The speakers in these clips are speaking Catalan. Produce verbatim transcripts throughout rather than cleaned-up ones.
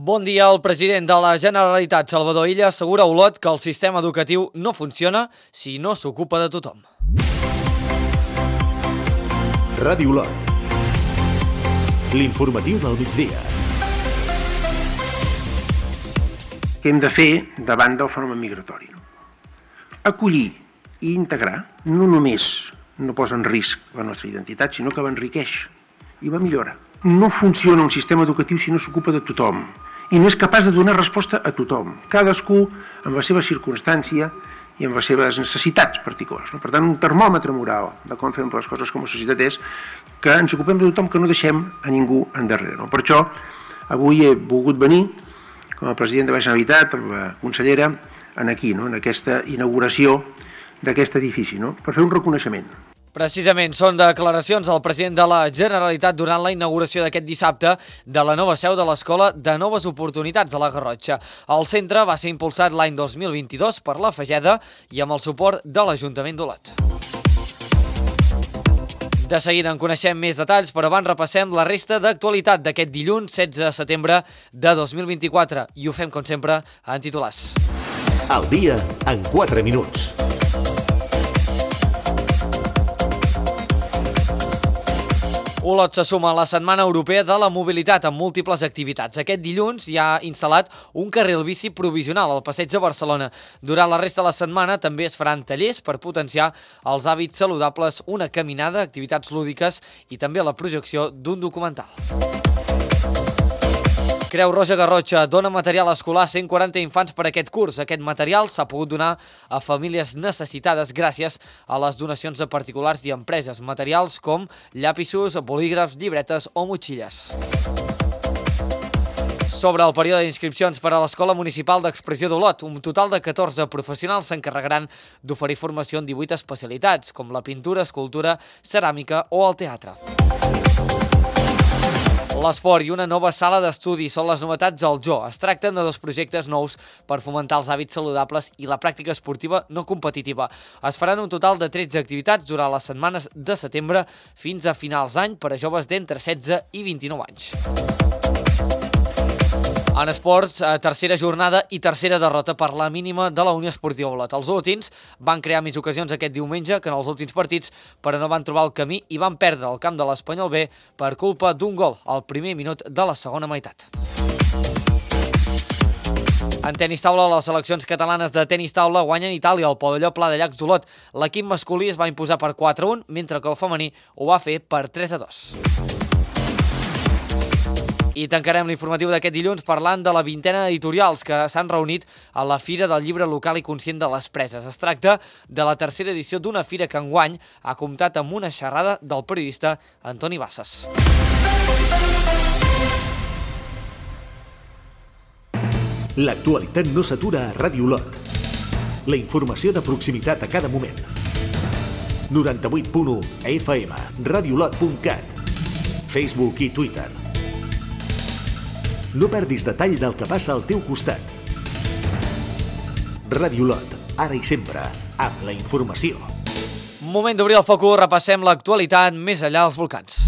Bon dia. El president de la Generalitat, Salvador Illa, assegura a Olot que el sistema educatiu no funciona si no s'ocupa de tothom. Ràdio Olot. L'informatiu del migdia. Què hem de fer davant del fenomen migratori? No? Acollir i integrar no només no posa en risc la nostra identitat, sinó que l'enriqueix i la millora. No funciona un sistema educatiu si no s'ocupa de tothom i no és capaç de donar resposta a tothom, cadascú amb la seva circumstància i amb les seves necessitats particulars. No? Per tant, un termòmetre moral de com fem les coses com a societat és que ens ocupem de tothom, que no deixem a ningú endarrere. No? Per això, avui he volgut venir com a president de la Generalitat, amb la consellera, en aquí, no? En aquesta inauguració d'aquest edifici, no? Per fer un reconeixement. Precisament, són declaracions del president de la Generalitat durant la inauguració d'aquest dissabte de la nova seu de l'Escola de Noves Oportunitats a la Garrotxa. El centre va ser impulsat l'any dos mil vint-i-dos per la Fageda i amb el suport de l'Ajuntament d'Olot. De seguida en coneixem més detalls, però abans repassem la resta d'actualitat d'aquest dilluns setze de setembre de dos mil vint-i-quatre i ho fem, com sempre, en titulars. El dia en quatre minuts. Olot se suma a la Setmana Europea de la Mobilitat amb múltiples activitats. Aquest dilluns hi ha instal·lat un carril bici provisional al Passeig de Barcelona. Durant la resta de la setmana també es faran tallers per potenciar els hàbits saludables, una caminada, activitats lúdiques i també la projecció d'un documental. Creu Roja Garrotxa dona material escolar a cent quaranta infants per aquest curs. Aquest material s'ha pogut donar a famílies necessitades gràcies a les donacions de particulars i empreses. Materials com llapisos, bolígrafs, llibretes o motxilles. Sobre el període d'inscripcions per a l'Escola Municipal d'Expressió d'Olot, un total de catorze professionals s'encarregaran d'oferir formació en divuit especialitats, com la pintura, escultura, ceràmica o el teatre. L'esport i una nova sala d'estudi són les novetats al Joo. Es tracten de dos projectes nous per fomentar els hàbits saludables i la pràctica esportiva no competitiva. Es faran un total de tretze activitats durant les setmanes de setembre fins a finals d'any per a joves d'entre setze i vint-i-nou anys. En esports, tercera jornada i tercera derrota per la mínima de la Unió Esportiva Olot. Els olotins van crear més ocasions aquest diumenge que en els últims partits, però no van trobar el camí i van perdre el camp de l'Espanyol B per culpa d'un gol al primer minut de la segona meitat. En tenis taula, les seleccions catalanes de tenis taula guanyen Itàlia al pavelló Pla de Llacs d'Olot. L'equip masculí es va imposar per quatre a un, mentre que el femení ho va fer per tres a dos. I tancarem l'informatiu d'aquest dilluns parlant de la vintena d'editorials que s'han reunit a la Fira del Llibre Local i Conscient de les Preses. Es tracta de la tercera edició d'una fira que enguany ha comptat amb una xerrada del periodista Antoni Bassas. L'actualitat no s'atura a Ràdio Olot. La informació de proximitat a cada moment. noranta-vuit punt u F M, radiolot punt cat, Facebook i Twitter. No perdis detall del que passa al teu costat. Ràdio Olot, ara i sempre, amb la informació. Moment d'obrir el focus, repassem l'actualitat més enllà dels volcans.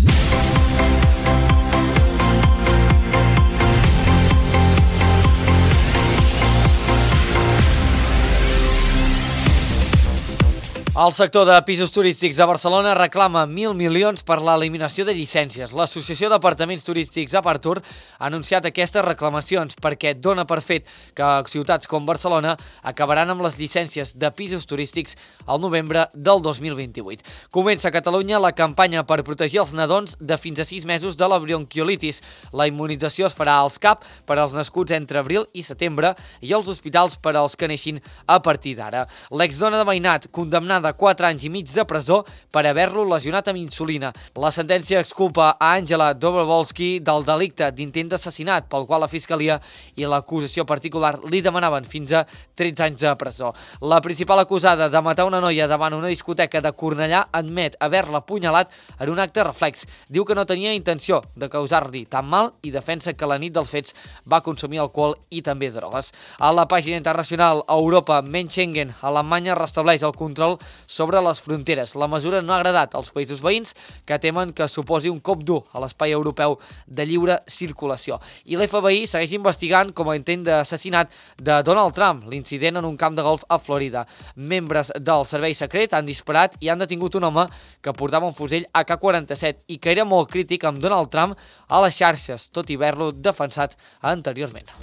El sector de pisos turístics a Barcelona reclama mil milions per l'eliminació de llicències. L'Associació d'Apartaments Turístics Apartur ha anunciat aquestes reclamacions perquè dona per fet que ciutats com Barcelona acabaran amb les llicències de pisos turístics al novembre del dos mil vint-i-vuit. Comença a Catalunya la campanya per protegir els nadons de fins a sis mesos de la bronquiolitis. La immunització es farà als C A P per als nascuts entre abril i setembre i als hospitals per als que neixin a partir d'ara. L'exdona de Veïnat, condemnada quatre anys i mig de presó per haver-lo lesionat amb insulina. La sentència exculpa a Àngela Dobrovolsky del delicte d'intent d'assassinat pel qual la Fiscalia i l'acusació particular li demanaven fins a tretze anys de presó. La principal acusada de matar una noia davant una discoteca de Cornellà admet haver-la apunyalat en un acte reflex. Diu que no tenia intenció de causar-li tan mal i defensa que la nit dels fets va consumir alcohol i també drogues. A la pàgina internacional Europa menys Schengen, Alemanya restableix el control sobre les fronteres. La mesura no ha agradat als països veïns, que temen que suposi un cop dur a l'espai europeu de lliure circulació. I l'F B I segueix investigant com a intent d'assassinat de Donald Trump, l'incident en un camp de golf a Florida. Membres del servei secret han disparat i han detingut un home que portava un fusell A K quaranta-set i que era molt crític amb Donald Trump a les xarxes, tot i haver-lo defensat anteriorment.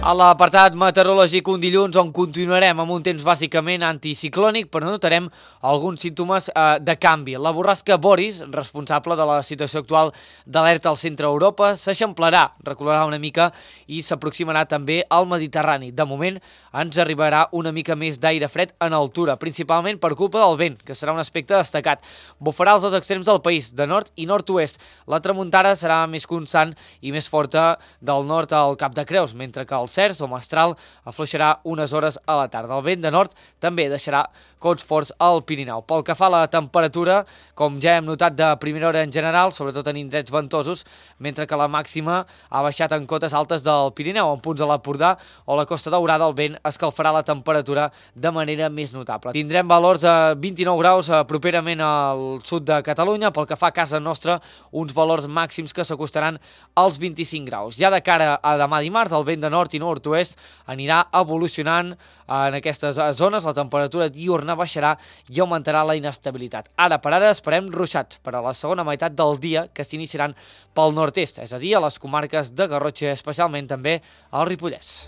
A l'apartat meteorològic un dilluns on continuarem amb un temps bàsicament anticiclònic, però notarem alguns símptomes eh, de canvi. La borrasca Boris, responsable de la situació actual d'alerta al centre Europa, s'eixamplarà, recularà una mica i s'aproximarà també al Mediterrani. De moment ens arribarà una mica més d'aire fred en altura, principalment per culpa del vent, que serà un aspecte destacat. Bufarà als dos extrems del país, de nord i nord-oest. La tramuntana serà més constant i més forta del nord al Cap de Creus, mentre que el Cers o Mestral afluixarà unes hores a la tarda. El vent de nord també deixarà cots forts al Pirineu. Pel que fa a la temperatura, com ja hem notat de primera hora en general, sobretot en indrets ventosos, mentre que la màxima ha baixat en cotes altes del Pirineu, en punts de l'Empordà o la Costa Daurada, el vent escalfarà la temperatura de manera més notable. Tindrem valors de vint-i-nou graus properament al sud de Catalunya, pel que fa a casa nostra, uns valors màxims que s'acostaran als vint-i-cinc graus. Ja de cara a demà dimarts, el vent de nord i nord-oest anirà evolucionant en aquestes zones, la temperatura diurna baixarà i augmentarà la inestabilitat. Ara per ara esperem ruixats per a la segona meitat del dia, que s'iniciaran pel nord-est, és a dir, a les comarques de Garrotxa, especialment també al Ripollès.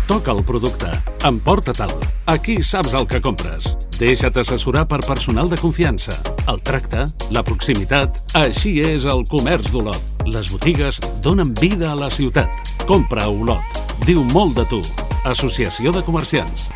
Toca el producte, emporta-te'l. Aquí saps el que compres. Deixa't assessorar per personal de confiança. El tracte, la proximitat, així és el comerç d'Olot. Les botigues donen vida a la ciutat. Compra a Olot. Diu molt de tu. Associació de Comerciants.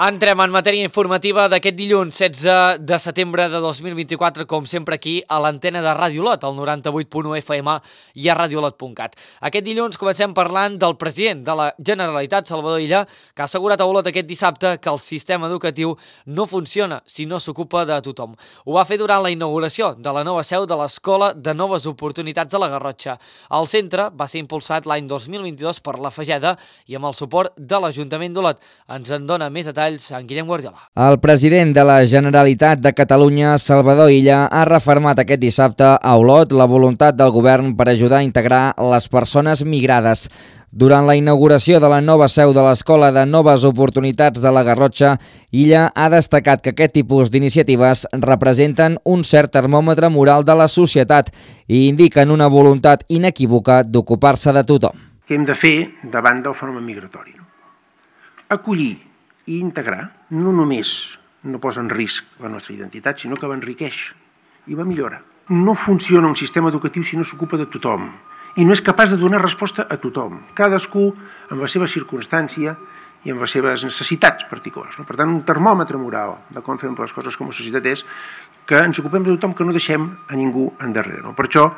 Entrem en matèria informativa d'aquest dilluns setze de setembre de dos mil vint-i-quatre, com sempre aquí a l'antena de Ràdio Olot, al noranta-vuit punt u F M i a radiolot punt cat. Aquest dilluns comencem parlant del president de la Generalitat, Salvador Illa, que ha assegurat a Olot aquest dissabte que el sistema educatiu no funciona si no s'ocupa de tothom. Ho va fer durant la inauguració de la nova seu de l'Escola de Noves Oportunitats de la Garrotxa. El centre va ser impulsat l'any dos mil vint-i-dos per la Fageda i amb el suport de l'Ajuntament d'Olot. Ens en dona més detalls en Guillem Guardiola. El president de la Generalitat de Catalunya, Salvador Illa, ha refermat aquest dissabte a Olot la voluntat del govern per ajudar a integrar les persones migrades. Durant la inauguració de la nova seu de l'Escola de Noves Oportunitats de la Garrotxa, Illa ha destacat que aquest tipus d'iniciatives representen un cert termòmetre moral de la societat i indiquen una voluntat inequívoca d'ocupar-se de tothom. Què hem de fer davant del fenomen migratori? No? Acollir i integrar no només no posa en risc la nostra identitat, sinó que l'enriqueix i la millora. No funciona un sistema educatiu si no s'ocupa de tothom i no és capaç de donar resposta a tothom, cadascú amb la seva circumstància i amb les seves necessitats particulars. No? Per tant, un termòmetre moral de com fem les coses com a societat és que ens ocupem de tothom, que no deixem a ningú endarrere. No? Per això,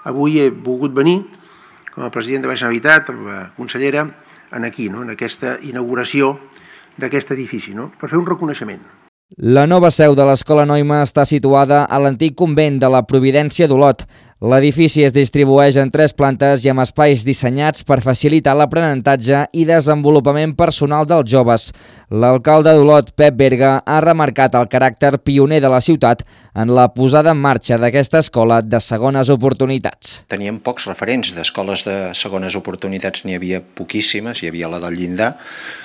avui he volgut venir com a president de la Generalitat, amb la consellera, en aquí, no? En aquesta inauguració d'aquest edifici, no? Per fer un reconeixement. La nova seu de l'Escola Noima està situada a l'antic convent de la Providència d'Olot. L'edifici es distribueix en tres plantes i amb espais dissenyats per facilitar l'aprenentatge i desenvolupament personal dels joves. L'alcalde d'Olot, Pep Berga, ha remarcat el caràcter pioner de la ciutat en la posada en marxa d'aquesta escola de segones oportunitats. Teníem pocs referents d'escoles de segones oportunitats, n'hi havia poquíssimes, hi havia la del Llindar,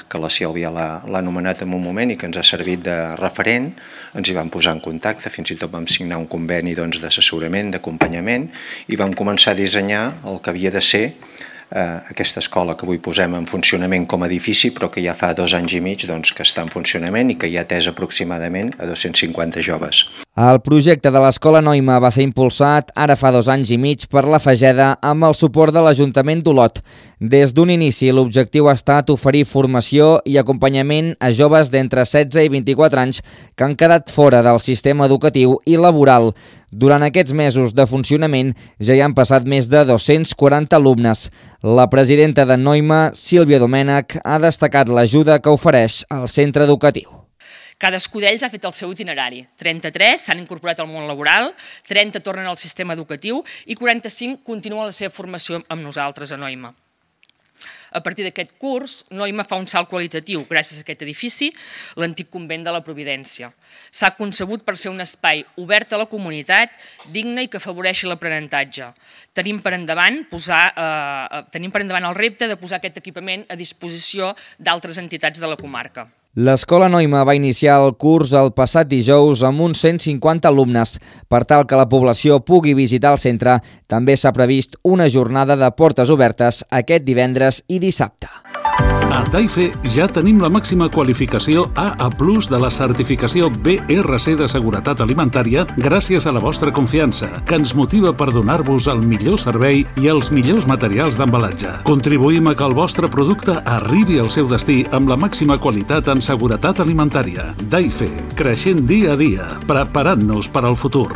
que la Sílvia l'ha anomenat en un moment i que ens ha servit de referent. Ens hi vam posar en contacte, fins i tot vam signar un conveni doncs, d'assessorament, d'acompanyament, i vam començar a dissenyar el que havia de ser eh, aquesta escola que avui posem en funcionament com a edifici, però que ja fa dos anys i mig doncs, que està en funcionament i que ja ha atès aproximadament a dos-cents cinquanta joves. El projecte de l'Escola Noima va ser impulsat ara fa dos anys i mig per la Fageda amb el suport de l'Ajuntament d'Olot. Des d'un inici, l'objectiu ha estat oferir formació i acompanyament a joves d'entre setze i vint-i-quatre anys que han quedat fora del sistema educatiu i laboral. Durant aquests mesos de funcionament ja hi han passat més de dos-cents quaranta alumnes. La presidenta de Noima, Sílvia Domènech, ha destacat l'ajuda que ofereix al centre educatiu. Cadascú d'ells ha fet el seu itinerari. trenta-tres s'han incorporat al món laboral, trenta tornen al sistema educatiu i quaranta-cinc continuen la seva formació amb nosaltres a Noima. A partir d'aquest curs, Noima fa un salt qualitatiu gràcies a aquest edifici, l'antic convent de la Providència. S'ha concebut per ser un espai obert a la comunitat, digne i que afavoreixi l'aprenentatge. Tenim per endavant posar, eh, tenim per endavant el repte de posar aquest equipament a disposició d'altres entitats de la comarca. L'Escola Noima va iniciar el curs el passat dijous amb uns cent cinquanta alumnes. Per tal que la població pugui visitar el centre, també s'ha previst una jornada de portes obertes aquest divendres i dissabte. A Taife ja tenim la màxima qualificació A A plus de la certificació B R C de seguretat alimentària gràcies a la vostra confiança, que ens motiva per donar-vos el millor servei i els millors materials d'embalatge. Contribuïm a que el vostre producte arribi al seu destí amb la màxima qualitat en seguretat alimentària. Taife, creixent dia a dia, preparant-nos per al futur.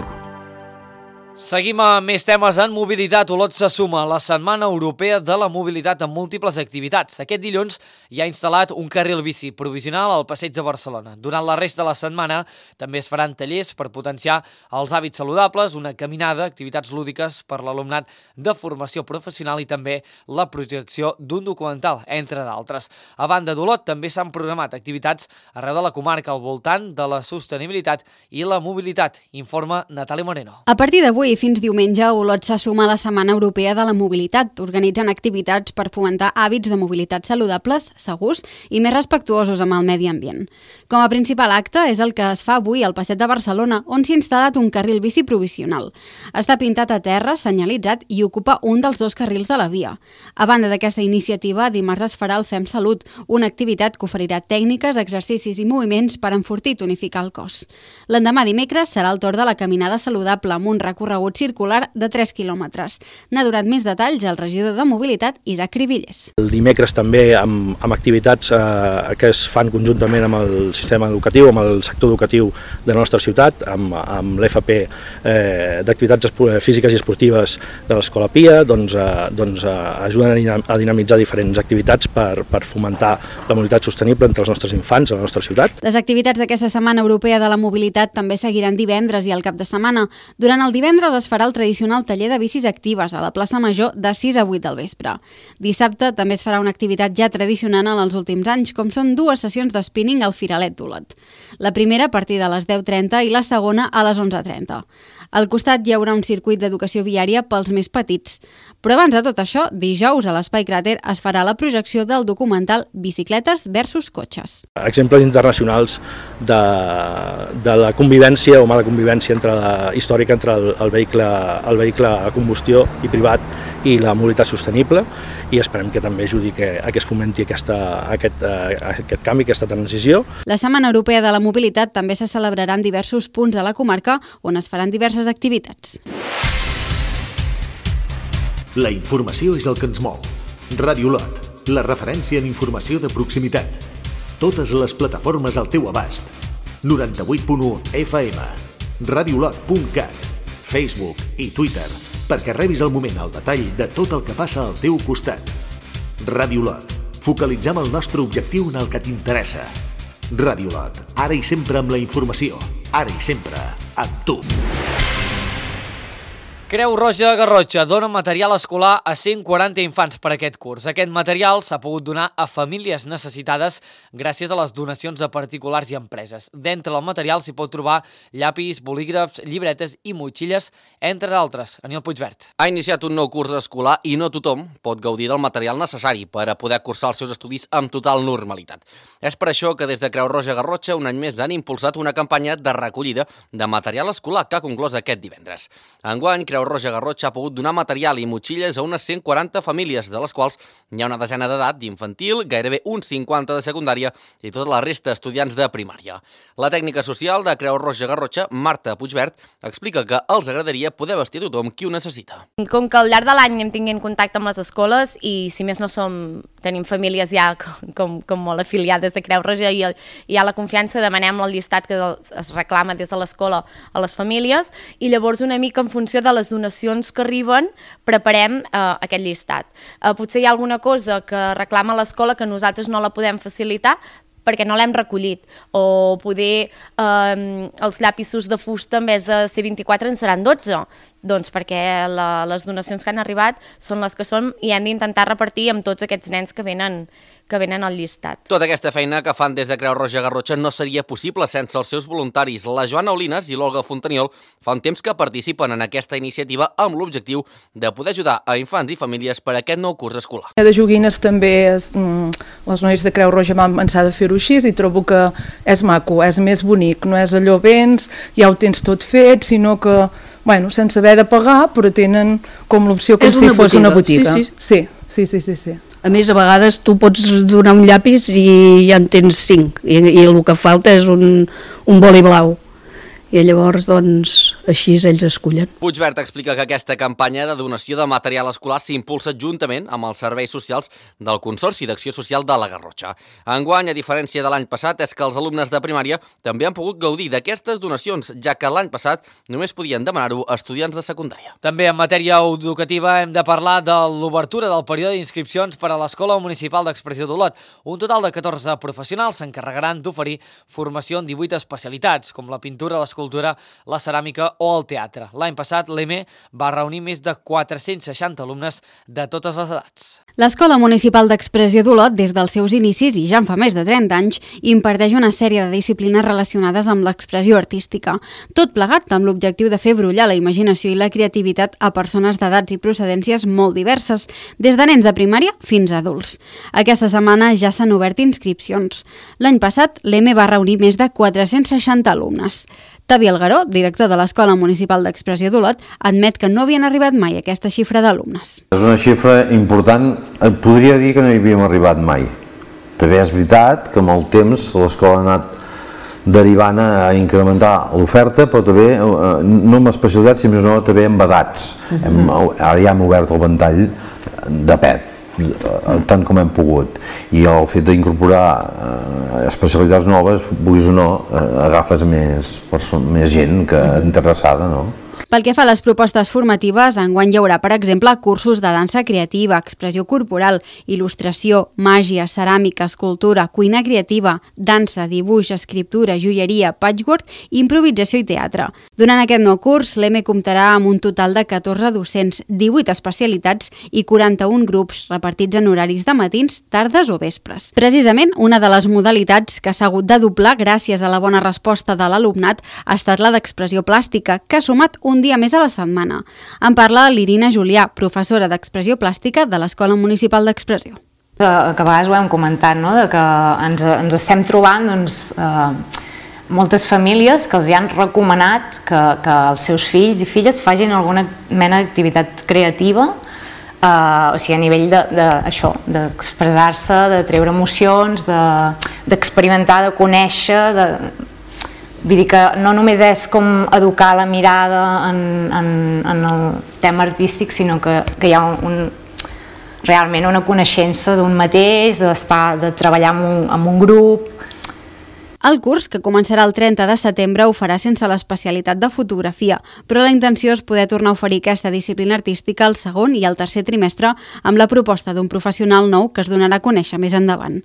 Seguim amb més temes en mobilitat. Olot se suma a la Setmana Europea de la Mobilitat amb múltiples activitats. Aquest dilluns hi ha instal·lat un carril bici provisional al Passeig de Barcelona. Durant la resta de la setmana també es faran tallers per potenciar els hàbits saludables, una caminada, activitats lúdiques per l'alumnat de formació professional i també la projecció d'un documental, entre d'altres. A banda d'Olot també s'han programat activitats arreu de la comarca al voltant de la sostenibilitat i la mobilitat, informa Natàlia Moreno. A partir d'avui i fins diumenge, Olot se suma a la Setmana Europea de la Mobilitat, organitzant activitats per fomentar hàbits de mobilitat saludables, segurs i més respectuosos amb el medi ambient. Com a principal acte és el que es fa avui al Passeig de Barcelona, on s'ha instal·lat un carril bici provisional. Està pintat a terra, senyalitzat i ocupa un dels dos carrils de la via. A banda d'aquesta iniciativa, dimarts es farà el Fem Salut, una activitat que oferirà tècniques, exercicis i moviments per enfortir i tonificar el cos. L'endemà dimecres serà el torn de la caminada saludable amb un recorregut circular de tres quilòmetres. N'ha donat més detalls el regidor de Mobilitat, Isaac Cribillers. El dimecres també amb, amb activitats eh, que es fan conjuntament amb el sistema educatiu, amb el sector educatiu de la nostra ciutat, amb, amb l'F P eh, d'activitats físiques i esportives de l'Escola Pia, doncs, eh, doncs eh, ajuden a dinamitzar diferents activitats per, per fomentar la mobilitat sostenible entre els nostres infants a la nostra ciutat. Les activitats d'aquesta Setmana Europea de la Mobilitat també seguiran divendres i al cap de setmana. Durant el divendres es farà el tradicional taller de bicis actives a la plaça Major de sis a vuit del vespre. Dissabte també es farà una activitat ja tradicional en els últims anys, com són dues sessions de spinning al Firalet d'Olot. La primera a partir de les deu trenta i la segona a les onze trenta. Al costat hi haurà un circuit d'educació viària pels més petits. Però abans de tot això, dijous a l'Espai Cràter es farà la projecció del documental Bicicletes versus cotxes. Exemples internacionals de, de la convivència o mala convivència entre la, històrica entre el, el, vehicle, el vehicle a combustió i privat i la mobilitat sostenible, i esperem que també ajudi que, a que es fomenti aquesta, aquest, aquest canvi, aquesta transició. La Setmana Europea de la Mobilitat també se celebrarà en diversos punts de la comarca on es faran diverses activitats. La informació és el que ens mou. Ràdio Olot, la referència en informació de proximitat. Totes les plataformes al teu abast. noranta-vuit punt u F M, radiolot punt cat, Facebook i Twitter, perquè rebis al moment el detall de tot el que passa al teu costat. Ràdio Olot, focalitzem el nostre objectiu en el que t'interessa. Ràdio Olot, ara i sempre amb la informació, ara i sempre amb tu. Creu Roja Garrotxa dona material escolar a cent quaranta infants per aquest curs. Aquest material s'ha pogut donar a famílies necessitades gràcies a les donacions de particulars i empreses. D'entre el material s'hi pot trobar llapis, bolígrafs, llibretes i motxilles, entre d'altres. Aniol Puigvert. Ha iniciat un nou curs escolar i no tothom pot gaudir del material necessari per a poder cursar els seus estudis amb total normalitat. És per això que des de Creu Roja Garrotxa un any més han impulsat una campanya de recollida de material escolar que ha conclòs aquest divendres. Enguany, Creu Roja Garrotxa ha pogut donar material i motxilles a unes cent quaranta famílies, de les quals hi ha una desena d'edat d'infantil, gairebé uns cinquanta de secundària i tota la resta estudiants de primària. La tècnica social de Creu Roja Garrotxa, Marta Puigvert, explica que els agradaria poder vestir a tothom qui ho necessita. Com que al llarg de l'any anem tinguent contacte amb les escoles i si més no som tenim famílies ja com, com molt afiliades a Creu Roja i hi ha la confiança, demanem el llistat que es reclama des de l'escola a les famílies i llavors una mica en funció de les donacions que arriben preparem eh, aquest llistat. Eh, potser hi ha alguna cosa que reclama l'escola que nosaltres no la podem facilitar perquè no l'hem recollit, o poder eh, els llapisos de fusta en vez de ser vint-i-quatre en seran dotze, doncs perquè la, les donacions que han arribat són les que són i hem d'intentar repartir amb tots aquests nens que venen, que venen al llistat. Tota aquesta feina que fan des de Creu Roja Garrotxa no seria possible sense els seus voluntaris. La Joana Olines i l'Olga Fontaniol fa un temps que participen en aquesta iniciativa amb l'objectiu de poder ajudar a infants i famílies per a aquest nou curs escolar. De joguines també és, mm, les noies de Creu Roja van pensar de fer-ho així i trobo que és maco, és més bonic, no és allò vens, ja ho tens tot fet, sinó que bueno, sense haver de pagar, però tenen com l'opció com si fos una botiga. Sí, sí. Sí, sí, sí, sí. A més, a vegades tu pots donar un llapis i ja en tens cinc, i, i el que falta és un, un boli blau. I llavors, doncs, així ells escullen. Puigvert explica que aquesta campanya de donació de material escolar s'impulsa juntament amb els serveis socials del Consorci d'Acció Social de la Garrotxa. Enguany, a diferència de l'any passat, és que els alumnes de primària també han pogut gaudir d'aquestes donacions, ja que l'any passat només podien demanar-ho estudiants de secundària. També en matèria educativa hem de parlar de l'obertura del període d'inscripcions per a l'Escola Municipal d'Expressió d'Olot. Un total de catorze professionals s'encarregaran d'oferir formació en divuit especialitats, com la pintura, l'escultura, cultura, la ceràmica o el teatre. L'any passat, l'E M E va reunir més de quatre-cents seixanta alumnes de totes les edats. L'Escola Municipal d'Expressió d'Olot, des dels seus inicis i ja en fa més de trenta anys, imparteix una sèrie de disciplines relacionades amb l'expressió artística. Tot plegat amb l'objectiu de fer brollar la imaginació i la creativitat a persones d'edats i procedències molt diverses, des de nens de primària fins a adults. Aquesta setmana ja s'han obert inscripcions. L'any passat, l'E M E va reunir més de quatre-cents seixanta alumnes. Tavi Algaró, director de l'Escola Municipal d'Expressió d'Olot, admet que no havien arribat mai a aquesta xifra d'alumnes. És una xifra important, et podria dir que no hi havíem arribat mai. També és veritat que amb el temps l'escola ha anat derivant a incrementar l'oferta, però també, no amb especialitats, sinó no també amb edats. Uh-huh. hem, ara ja hem obert el ventall de pet, tant com hem pogut, i el fet d'incorporar eh, especialitats noves, vulguis o no, eh, agafes més, més gent que interessada, no? Pel que fa a les propostes formatives, enguany hi haurà, per exemple, cursos de dansa creativa, expressió corporal, il·lustració, màgia, ceràmica, escultura, cuina creativa, dansa, dibuix, escriptura, joieria, patchwork, improvisació i teatre. Durant aquest nou curs, l'E M E comptarà amb un total de catorze docents, divuit especialitats i quaranta-un grups repartits en horaris de matins, tardes o vespres. Precisament, una de les modalitats que s'ha hagut de doblar gràcies a la bona resposta de l'alumnat ha estat la d'expressió plàstica, que ha sumat un dia més a la setmana. En parla l'Irina Julià, professora d'Expressió Plàstica de l'Escola Municipal d'Expressió. Que a vegades ho hem comentat, no? De que ens, ens estem trobant doncs, eh, moltes famílies que els hi han recomanat que, que els seus fills i filles facin alguna mena d'activitat creativa, eh, o sigui, a nivell de, de, això, d'expressar-se, de treure emocions, d'experimentar, de, de conèixer, de... Vull dir que no només és com educar la mirada en, en, en el tema artístic, sinó que, que hi ha un, realment una coneixença d'un mateix, d'estar, de treballar amb un, amb un grup. El curs, que començarà el trenta de setembre, ho farà sense l'especialitat de fotografia, però la intenció és poder tornar a oferir aquesta disciplina artística al segon i al tercer trimestre amb la proposta d'un professional nou que es donarà a conèixer més endavant.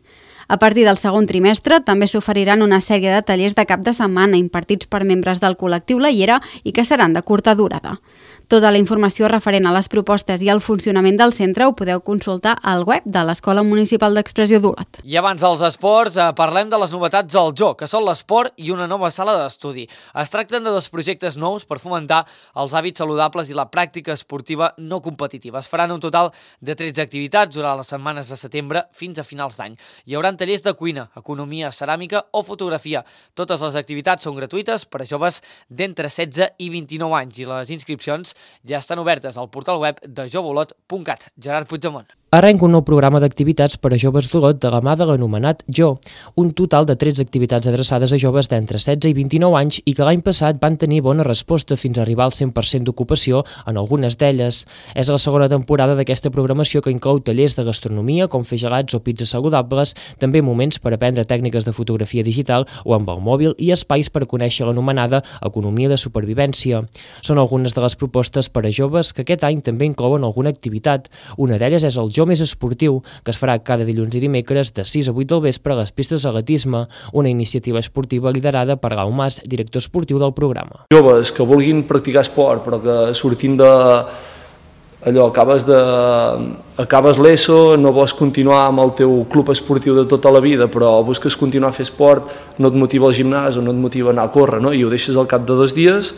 A partir del segon trimestre també s'oferiran una sèrie de tallers de cap de setmana impartits per membres del col·lectiu La Llera i que seran de curta durada. Tota la informació referent a les propostes i al funcionament del centre ho podeu consultar al web de l'Escola Municipal d'Expressió d'Olot. I abans dels esports, eh, parlem de les novetats del joc, que són l'esport i una nova sala d'estudi. Es tracten de dos projectes nous per fomentar els hàbits saludables i la pràctica esportiva no competitiva. Es faran un total de tretze activitats durant les setmanes de setembre fins a finals d'any. Hi haurà tallers de cuina, economia, ceràmica o fotografia. Totes les activitats són gratuïtes per a joves d'entre setze i vint-i-nou anys i les inscripcions ja estan obertes al portal web de jove olot punt cat. Gerard Puigdemont. arrenca un nou programa d'activitats per a joves d'Olot de la mà de l'anomenat Jo, un total de tretze activitats adreçades a joves d'entre setze i vint-i-nou anys i que l'any passat van tenir bona resposta fins a arribar al cent per cent d'ocupació en algunes d'elles. És la segona temporada d'aquesta programació que inclou tallers de gastronomia com fer gelats o pizzas saludables, també moments per aprendre tècniques de fotografia digital o amb el mòbil i espais per conèixer l'anomenada economia de supervivència. Són algunes de les propostes per a joves que aquest any també inclouen alguna activitat. Una d'elles és el Jo Més Esportiu, que es farà cada dilluns i dimecres de sis a vuit del vespre a les pistes d'atletisme, una iniciativa esportiva liderada per Lau Mas, director esportiu del programa. Joves que vulguin practicar esport, però que sortint de allò, acabes, de, acabes l'ESO, no vols continuar amb el teu club esportiu de tota la vida, però busques continuar a fer esport, no et motiva el gimnàs o no et motiva anar a córrer, no? I ho deixes al cap de dos dies,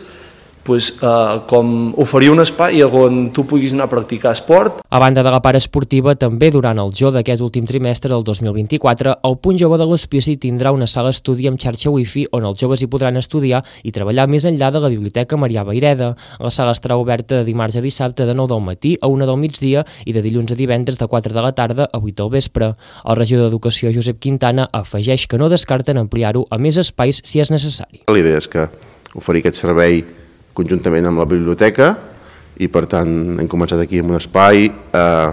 pues, eh, com oferir un espai on tu puguis anar a practicar esport. A banda de la part esportiva, també durant el Jo d'aquest últim trimestre del dos mil vint-i-quatre, el Punt Jove de l'Hospici tindrà una sala estudi amb xarxa wifi on els joves hi podran estudiar i treballar més enllà de la Biblioteca Marià Vayreda. La sala estarà oberta de dimarts a dissabte de nou del matí a una del migdia i de dilluns a divendres de quatre de la tarda a vuit del vespre. El regidor d'Educació, Josep Quintana, afegeix que no descarten ampliar-ho a més espais si és necessari. La idea és que oferir aquest servei conjuntament amb la biblioteca i per tant hem començat aquí amb un espai eh,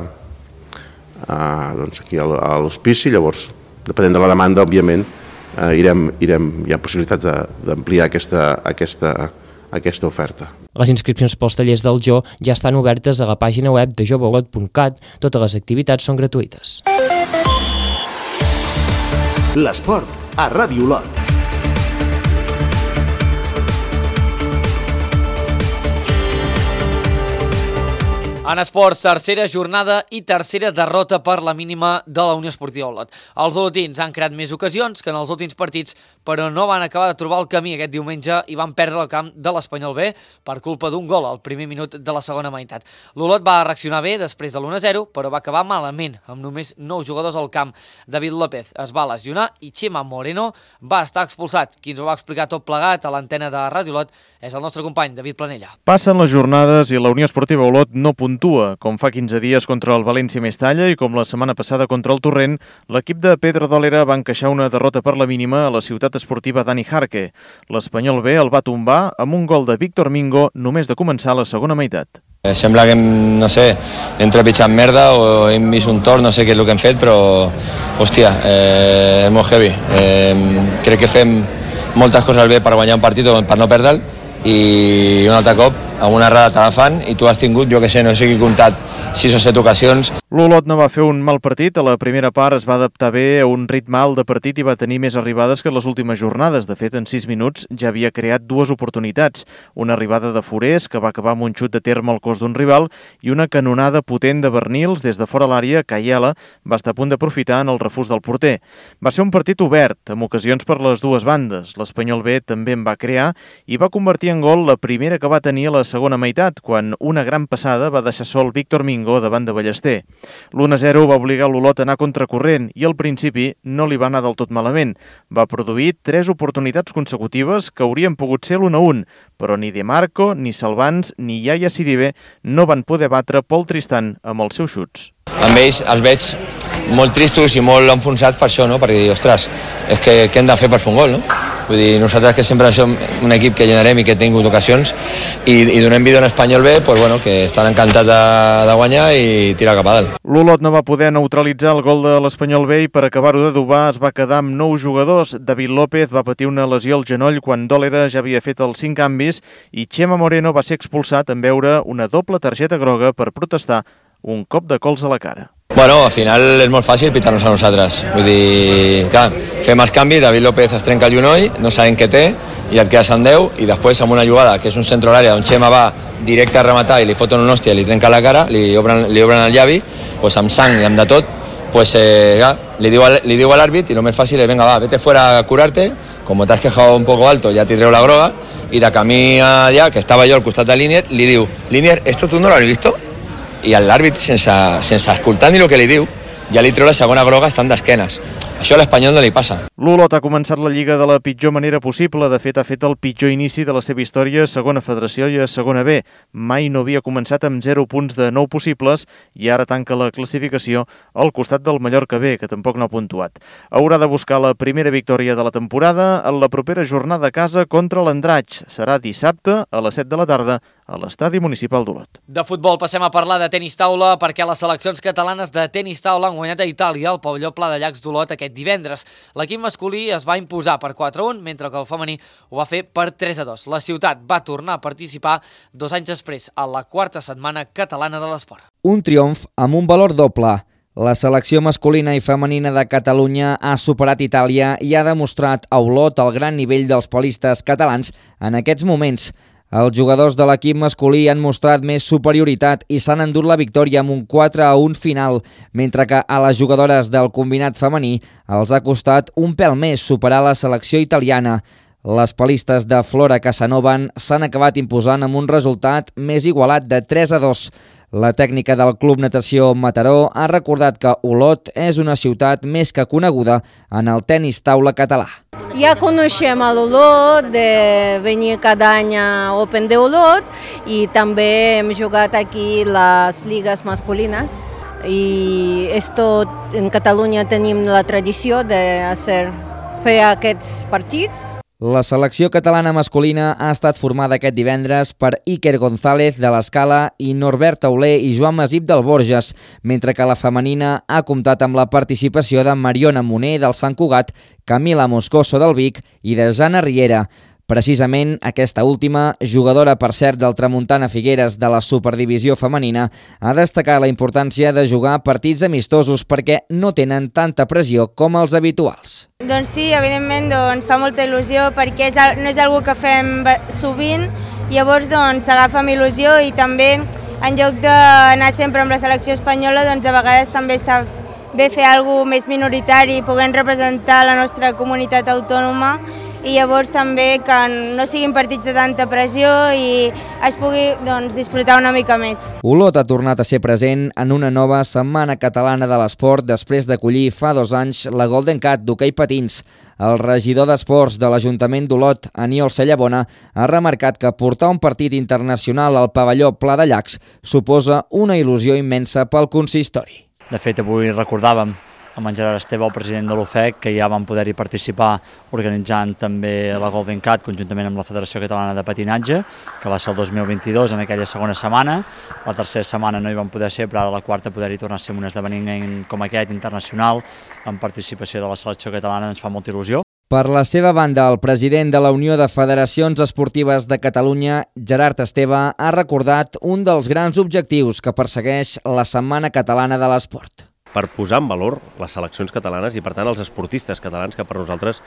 eh, doncs aquí a l'hospici, llavors depenent de la demanda òbviament eh, irem, irem, hi ha possibilitats d'ampliar aquesta, aquesta, aquesta oferta. Les inscripcions pels tallers del Jo ja estan obertes a la pàgina web de joveolot punt cat, totes les activitats són gratuïtes. L'esport a Ràdio Olot. En esports, tercera jornada i tercera derrota per la mínima de la Unió Esportiva Olot. Els olotins han creat més ocasions que en els últims partits, però no van acabar de trobar el camí aquest diumenge i van perdre el camp de l'Espanyol B per culpa d'un gol al primer minut de la segona meitat. L'Olot va reaccionar bé després de l'u a zero, però va acabar malament, amb només nou jugadors al camp. David López es va lesionar i Chema Moreno va estar expulsat. Qui ens ho va explicar tot plegat a l'antena de Ràdio Olot és el nostre company David Planella. Passen les jornades i la Unió Esportiva Olot no puntua, com fa quinze dies contra el València Mestalla i com la setmana passada contra el Torrent, l'equip de Pedro Dólera va encaixar una derrota per la mínima a la ciutat esportiva Dani Jarque. L'Espanyol B el va tombar amb un gol de Víctor Mingo només de començar la segona meitat. Eh, sembla que hem, no sé, hem trepitjat merda o hem vist un tort, no sé què és el que hem fet, però, hòstia, eh, és molt heavy. Eh, crec que fem moltes coses bé per guanyar un partit o per no perdre'l, i un altre cop, amb una errada te la fan i tu has tingut, jo que sé, no sé qui comptat, sis o set ocasions. L'Olot no va fer un mal partit, a la primera part es va adaptar bé a un ritme alt de partit i va tenir més arribades que les últimes jornades. De fet, en sis minuts ja havia creat dues oportunitats, una arribada de Forés, que va acabar amb un xut de terme al cos d'un rival, i una canonada potent de Bernils des de fora l'àrea que Aiela va estar a punt d'aprofitar en el refús del porter. Va ser un partit obert, amb ocasions per les dues bandes. L'Espanyol B també en va crear i va convertir en gol la primera que va tenir a la segona meitat, quan una gran passada va deixar sol Víctor Mingo davant de Ballester. L'u a zero va obligar l'Olot a anar contracorrent i al principi no li va anar del tot malament. Va produir tres oportunitats consecutives que haurien pogut ser l'u a un, però ni De Marco, ni Salvans, ni Yaya Sidibe no van poder batre Pol Tristan amb els seus xuts. Amb ells els veig molt tristos i molt enfonsats per això, no? Perquè dir, ostres, és que què hem de fer per fer un gol, no? Vull dir, nosaltres que sempre som un equip que llenarem i que hem tingut ocasions i, i donem vida a un Espanyol B, pues bueno, que estan encantats de, de guanyar i tirar cap a dalt. L'Olot no va poder neutralitzar el gol de l'Espanyol B i per acabar-ho d'adobar es va quedar amb nou jugadors. David López va patir una lesió al genoll quan Dólera ja havia fet els cinc canvis i Chema Moreno va ser expulsat en veure una doble targeta groga per protestar un cop de cols a la cara. Bueno, al final és molt fàcil pitar-nos a nosaltres. Vull dir, clar, fem els canvis, David López es trenca el genoll, no sabem què té, i et quedes en deu, i després amb una jugada, que és un centre a l'àrea, on Chema va directe a rematar i li foten un hòstia i li trenca la cara, li obren, li obren el llavi, pues amb sang i amb de tot, pues, eh, ja, li diu, li diu a l'àrbit i el més fàcil és, venga, va, vete fuera a curarte, como te has quejado un poco alto, ya te treu la groga, i de camí allà, que estava jo al costat de Linier, li diu, Linier, esto tú no lo has visto? I l'àrbit, sense, sense escoltar ni el que li diu, ja li treu la segona groga estant d'esquenes. Això a l'Espanyol no li passa. L'Olot ha començat la Lliga de la pitjor manera possible. De fet, ha fet el pitjor inici de la seva història a segona federació i a segona B. Mai no havia començat amb zero punts de nou possibles i ara tanca la classificació al costat del Mallorca B, que tampoc no ha puntuat. Haurà de buscar la primera victòria de la temporada en la propera jornada a casa contra l'Andratx. Serà dissabte a les set de la tarda a l'estadi municipal d'Olot. De futbol passem a parlar de tenis taula perquè les seleccions catalanes de tenis taula han guanyat a Itàlia al pavelló Pla de Llacs d'Olot aquest divendres. L'equip masculí es va imposar per quatre a un, mentre que el femení ho va fer per tres a dos. La ciutat va tornar a participar dos anys després a la quarta setmana catalana de l'esport. Un triomf amb un valor doble. La selecció masculina i femenina de Catalunya ha superat Itàlia i ha demostrat a Olot el gran nivell dels polistes catalans en aquests moments. Els jugadors de l'equip masculí han mostrat més superioritat i s'han endut la victòria amb un quatre a un final, mentre que a les jugadores del combinat femení els ha costat un pèl més superar la selecció italiana. Les palistes de Flora Casanovan s'han acabat imposant amb un resultat més igualat de tres a dos. La tècnica del Club Natació Mataró ha recordat que Olot és una ciutat més que coneguda en el tenis taula català. Ja coneixem a l'Olot, de venir cada any a Open de Olot i també hem jugat aquí les lligues masculines i esto, en Catalunya tenim la tradició de hacer, fer aquests partits. La selecció catalana masculina ha estat formada aquest divendres per Iker González de l'Escala i Norbert Tauler i Joan Masip del Borges, mentre que la femenina ha comptat amb la participació de Mariona Moner del Sant Cugat, Camila Moscoso del Vic i de Jana Riera. Precisament aquesta última, jugadora per cert del Tramuntana Figueres de la Superdivisió femenina, ha destacat la importància de jugar partits amistosos perquè no tenen tanta pressió com els habituals. Doncs sí, evidentment doncs, fa molta il·lusió perquè és, no és algo que fem sovint, llavors doncs s'agafa amb il·lusió i també en lloc d'anar sempre amb la selecció espanyola doncs a vegades també està bé fer alguna cosa més minoritari, puguem representar la nostra comunitat autònoma i llavors també que no siguin partits de tanta pressió i es pugui doncs, disfrutar una mica més. Olot ha tornat a ser present en una nova Setmana Catalana de l'Esport després d'acollir fa dos anys la Golden Cat d'hoquei patins. El regidor d'Esports de l'Ajuntament d'Olot, Aniol Sallabona, ha remarcat que portar un partit internacional al pavelló Pla de Llacs suposa una il·lusió immensa pel consistori. De fet, avui recordàvem amb en Gerard Esteve, el president de l'U F E C, que ja vam poder-hi participar organitzant també la Golden Cat conjuntament amb la Federació Catalana de Patinatge, que va ser el dos mil vint-i-dos en aquella segona setmana. La tercera setmana no hi vam poder ser, però ara la quarta poder-hi tornar a ser un esdeveniment com aquest internacional amb participació de la selecció catalana ens fa molta il·lusió. Per la seva banda, el president de la Unió de Federacions Esportives de Catalunya, Gerard Esteve, ha recordat un dels grans objectius que persegueix la Setmana Catalana de l'Esport. Per posar en valor les seleccions catalanes i, per tant, els esportistes catalans, que per nosaltres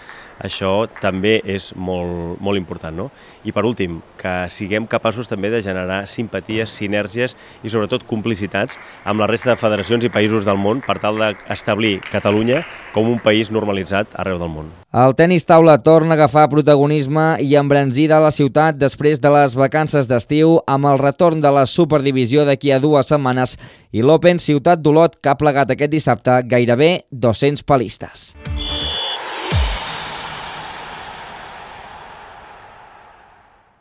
això també és molt, molt important, no? I, per últim, que siguem capaços també de generar simpaties, sinergies i, sobretot, complicitats amb la resta de federacions i països del món per tal d'establir Catalunya com un país normalitzat arreu del món. El tenis taula torna a agafar protagonisme i embranzida a la ciutat després de les vacances d'estiu amb el retorn de la Superdivisió d'aquí a dues setmanes i l'Open Ciutat d'Olot, que ha plegat aquest dissabte gairebé dos-cents palistes.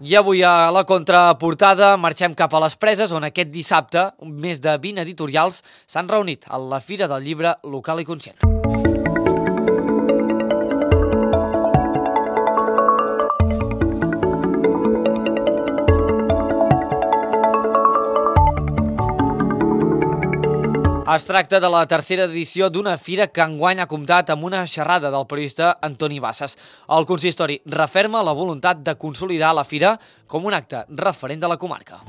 I avui a la contraportada marxem cap a les Preses, on aquest dissabte més de vint editorials s'han reunit a la Fira del Llibre Local i Conscient. Es tracta de la tercera edició d'una fira que enguany ha comptat amb una xerrada del periodista Antoni Bassas. El consistori referma la voluntat de consolidar la fira com un acte referent de la comarca.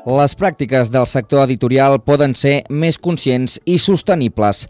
Les pràctiques del sector editorial poden ser més conscients i sostenibles.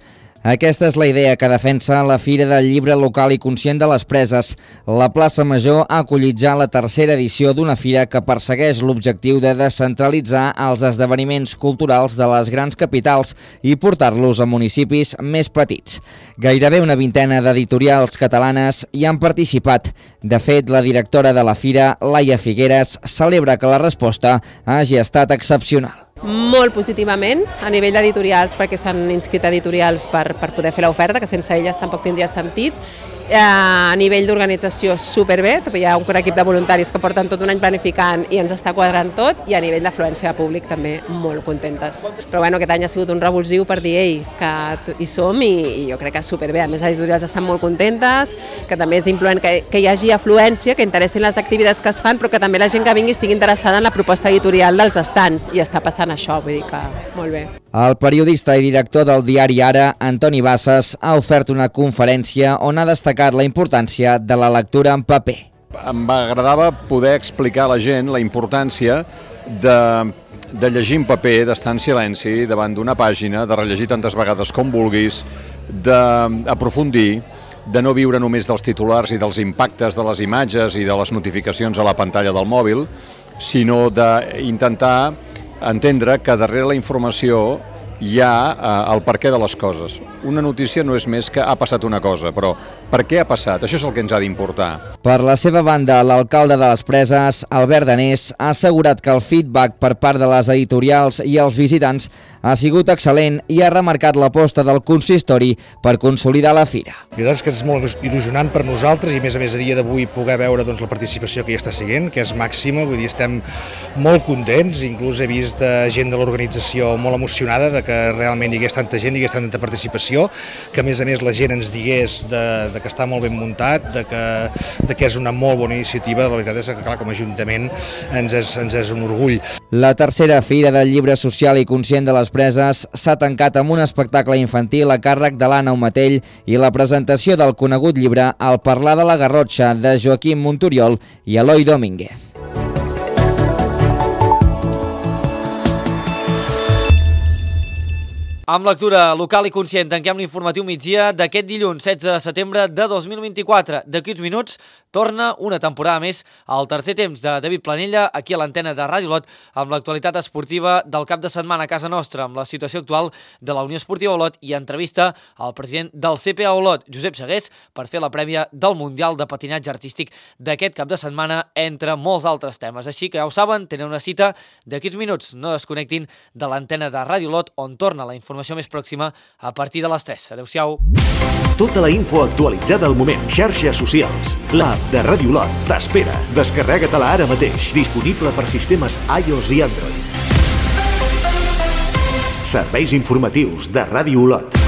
Aquesta és la idea que defensa la Fira del Llibre Local i Conscient de les Preses. La plaça Major ha acollit ja la tercera edició d'una fira que persegueix l'objectiu de descentralitzar els esdeveniments culturals de les grans capitals i portar-los a municipis més petits. Gairebé una vintena d'editorials catalanes hi han participat. De fet, la directora de la fira, Laia Figueres, celebra que la resposta hagi estat excepcional. Molt positivament a nivell d'editorials, perquè s'han inscrit editorials per, per poder fer l'oferta, que sense elles tampoc tindria sentit. A nivell d'organització superbé, hi ha un equip de voluntaris que porten tot un any planificant i ens està quadrant tot, i a nivell d'afluència de públic també molt contentes. Però bueno, aquest any ha sigut un revulsiu per dir ei, que hi som i, i jo crec que és superbé. A més, les editorials estan molt contentes, que també és influent que, que hi hagi afluència, que interessin les activitats que es fan, però que també la gent que vingui estigui interessada en la proposta editorial dels estants, i està passant això, vull dir que molt bé. El periodista i director del diari Ara, Antoni Bassas, ha ofert una conferència on ha destacat la importància de la lectura en paper. Em agradava poder explicar a la gent la importància de, de llegir en paper, d'estar en silenci davant d'una pàgina, de rellegir tantes vegades com vulguis, d'aprofundir, de no viure només dels titulars i dels impactes de les imatges i de les notificacions a la pantalla del mòbil, sinó d'intentar entendre que darrere la informació hi ha eh, el perquè de les coses. Una notícia no és més que ha passat una cosa, però per què ha passat? Això és el que ens ha d'importar. Per la seva banda, l'alcalde de les Preses, Albert Danés, ha assegurat que el feedback per part de les editorials i els visitants ha sigut excel·lent i ha remarcat l'aposta del consistori per consolidar la fira. La veritat és que és molt il·lusionant per nosaltres i a més a més a dia d'avui poder veure doncs, la participació que hi està siguent, que és màxima, vull dir, estem molt contents, inclús he vist gent de l'organització molt emocionada de que realment hi hagués tanta gent, hi hagués tanta participació, que a més a més la gent ens digués de, de que està molt ben muntat, de que, de que és una molt bona iniciativa. La veritat és que clar, com a Ajuntament ens és, ens és un orgull. La tercera Fira del Llibre Social i Conscient de les Preses s'ha tancat amb un espectacle infantil a càrrec de l'Anna Omatell i la presentació del conegut llibre El parlar de la Garrotxa de Joaquim Montoriol i Eloi Domínguez. Amb lectura local i conscient, tanquem l'informatiu migdia d'aquest dilluns setze de setembre de dos mil vint-i-quatre. D'aquí uns minuts torna una temporada més al tercer temps de David Planella aquí a l'antena de Ràdio Olot amb l'actualitat esportiva del cap de setmana a casa nostra, amb la situació actual de la Unió Esportiva Olot i entrevista al president del C P A Olot, Josep Segués, per fer la prèvia del Mundial de Patinatge Artístic d'aquest cap de setmana, entre molts altres temes. Així que ja ho saben, tenen una cita d'aquí uns minuts. No desconnectin de l'antena de Ràdio Olot, on torna la informació més pròxima a partir de les tres. Adéu-siau. Tota la info actualitzada al moment. Xarxes socials. L'app de Ràdio Olot t'espera. Descarrega-te-la ara mateix. Disponible per sistemes iOS i Android. Serveis informatius de Ràdio Olot.